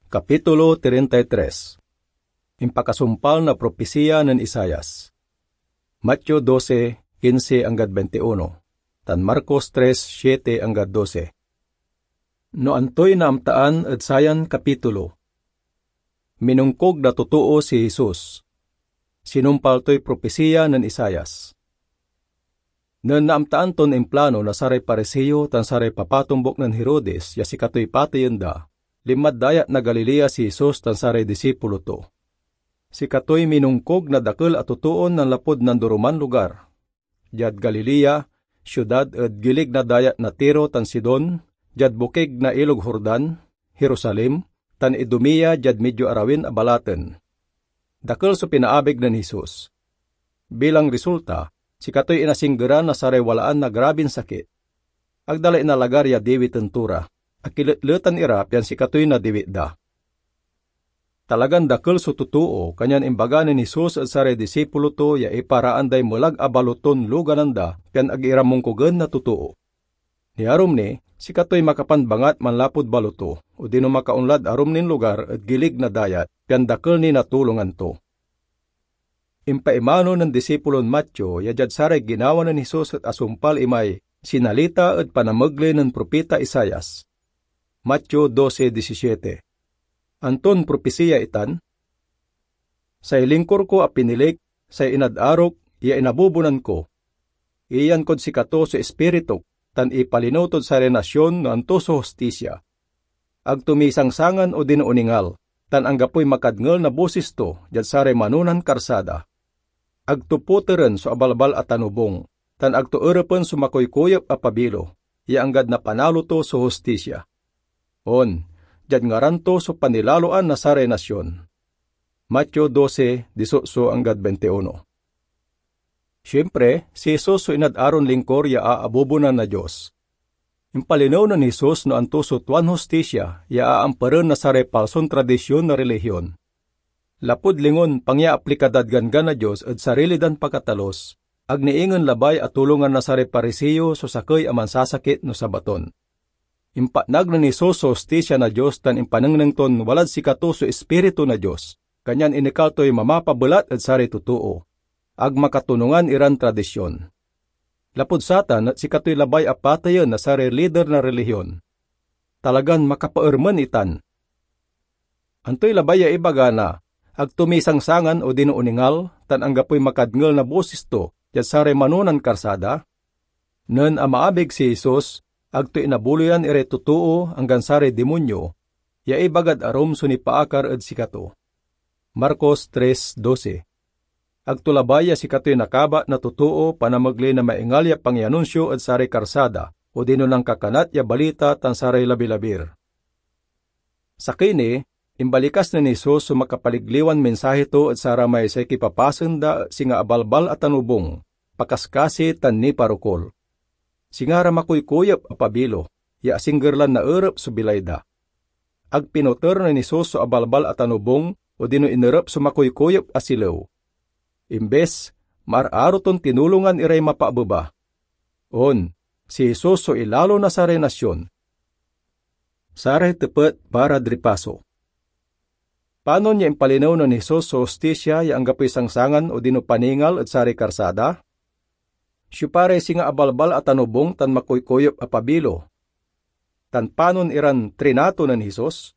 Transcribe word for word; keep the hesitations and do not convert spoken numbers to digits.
Kapitulo treinta y tres. Impakasumpal na propisiya nen Isaias. Mateo doce, quince anggad veintiuno, tan Marcos tres, siete anggad doce. No antoy naamtaan ed sayan kapitulo? Minongkog na totoo si Jesus. Sinumpal toy propisiya nen Isaias. Nen naamtaan ton implano na saray Pariseo tan saray papatombuk nen Herodes ya sikatoy pateyen da, linmad dayat na Galilea si Jesus tan saray disipulo to. Sikatoy minongkog na dakel a totoon nanlapud nandoroman lugar, diad Galilea, siudad ed gilig na dayat na Tiro tan Sidon, diad bokig na Ilog Jordan, Jerusalem, tan Idumea diad midyo arawin a balaten. Dakel so pinaabig nen Jesus. Bilang resulta, sikatoy inasinggeran na saray walaan na grabin sakit. Ag da la inalagar ya diwiten to ra. Akiletletan ira pian sikatoy nadiwit da. Talagan dakel so totoo, kanyan imbaga nen Jesus ed saray disipulo to ya iparaan day melag a baloton luganan da pian ag ira mongkogen na totoo. Niarum ni, sikatoy makapanbangat manlapud baloto, odino makaonlad arum nin lugar ed gilig na dayat, pian dakel ni natulongan to. Impaimano nen disipulon Mateo ya diad saray ginawa nen Jesus et asumpal imay sinalita ed panamegley nen propita Isaias. Mateo doce diecisiete. Anton propisiya itan? Say lingkor ko a pinilik, say inad-arok ya inabubonan ko. Iyan kod sikato so Ispirituk, tan ipalinew tod saray nasion no anto so hostisia. Ag to misangsangan odino oningal, tan anggapoy makadngel na bosis to diad saray manonan karsada. Ag to poteren so abalbal a tanobung, tan ag to erepen so makoykoyep a pabilo, ya anggad napanalo to so hostisia. On, diad ngaran to so panilaloan na saray nasion. Mateo doce, dieciocho anggad veintiuno. Siempre, si Jesus so inad-aron lingkor ya aabubonan na Dios. Impalinew nen Jesus no anto so tuan hostisia ya aamperen na saray palson tradision na relihion. Lapud lingon pangyaaplika dad Ganggan na Dios ed sarili dan pakatalus, ag ni ingen labay a tulongan na saray Pariseo so sakey a mansasakit no Sabaton. Impatnag nen Jesus so hostisia na Dios tan impanengneng ton walad sikato so Ispiritu na Dios, kanyan inekal toy mamapabelat ed saray totoo. Ag makatonungan iran tradision. Lapud satan et sikatoy labay a pateyen na saray lider na relihion. Talagan makapaermen itan. Antoy labay ya ibaga na, "Ag to misangsangan odino oningal, tan anggapoy makadngel na bosis to diad saray manonan karsada"? Nen amaabig si Jesus, ag to inabuloyan iray totoo anggan saray dimonyo, ya ibagad arum so nipaakar ed sikato. Marcos tres doce. Ag to labay ya sikatoy nakabat na totoo panamegley na maingal ya pangianunsio ed saray karsada, odino nankakanat ya balita tan saray labilabir. Sakey ni, imbalikas nen Jesus so makapaligliwan mensahe to ed saramay say kipapasen da et singa abalbal a tanobung, pakaskasi, tan niparokol. Singa ra makoykoyep a pabilo, ya asingger lan naerep so bilay da. Ag pinoter nen Jesus so abalbal a tanobung odino inerep so makoykoyep a silew. Imbes, maar-aro ton tinulongan iray mapaabeba. On, si Jesus so ilalo na saray nasion. Saray tepet para ed ripaso. Panon ya impalinew nen Jesus so hostisia ya anggapoy sangsangan odino paningal ed saray karsada? Siopa ray singa abalbal a tanobung tan makoykoyep a pabilo? Tan panon iran trinato nen Jesus?